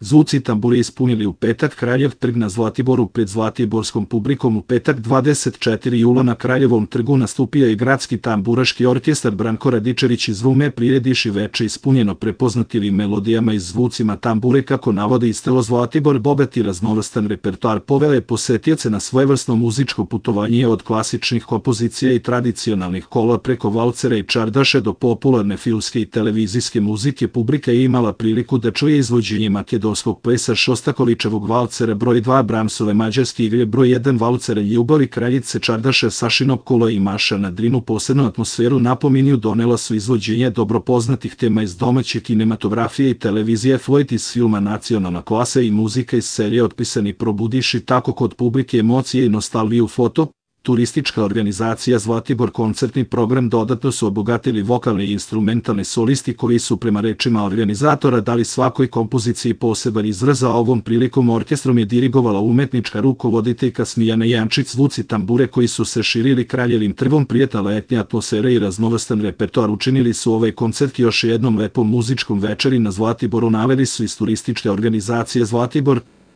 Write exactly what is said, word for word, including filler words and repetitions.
Zvuci tamburi ispunili u petak Kraljev trg na Zlatiboru pred zlatiborskom publikom. U petak dvadeset četvrtog jula na Kraljevom trgu nastupio je gradski tamburaški orkestar. Branko Radičević iz Rume prirediši veče ispunjeno prepoznativim melodijama i zvucima tambure. Kako navode iz Telo Zlatibor, bogat i raznovrstan repertoar poveo je posetioce na svojevrsno muzičko putovanje od klasičnih kompozicija i tradicionalnih kola preko valcera i čardaše do popularne filmske i televizijske muzike. Publika je imala priliku da čuje izvođenje makedonskog plesa Šostakoličevog valcera broj dva, Bramsove mađarske igre broj jedan, valcera Ljubavi kraljice čardaše Sašinog kola i Maša na Drinu. Posebnu atmosferu na Pominju donela su izvođenje dobro poznatih tema iz domaće kinematografije i televizije, flojt iz filma Nacionalna klasa i muzika iz serije Otpisani probudiši tako kod publike emocije i nostalgiju. Foto Turistička organizacija Zlatibor koncertni program dodatno su obogatili vokalni i instrumentalni solisti koji su prema rečima organizatora dali svakoj kompoziciji poseban izraz. A ovom prilikom orkestrom je dirigovala umetnička rukovoditeljka Smijana Jančić. Zvuci tambure koji su se širili Kraljevim trgom, prijatna letnja atmosfera i raznovrstan repertoar učinili su ovaj koncert još jednom lepom muzičkom večeri na Zlatiboru, naveli su iz Turističke organizacije Zlatibor.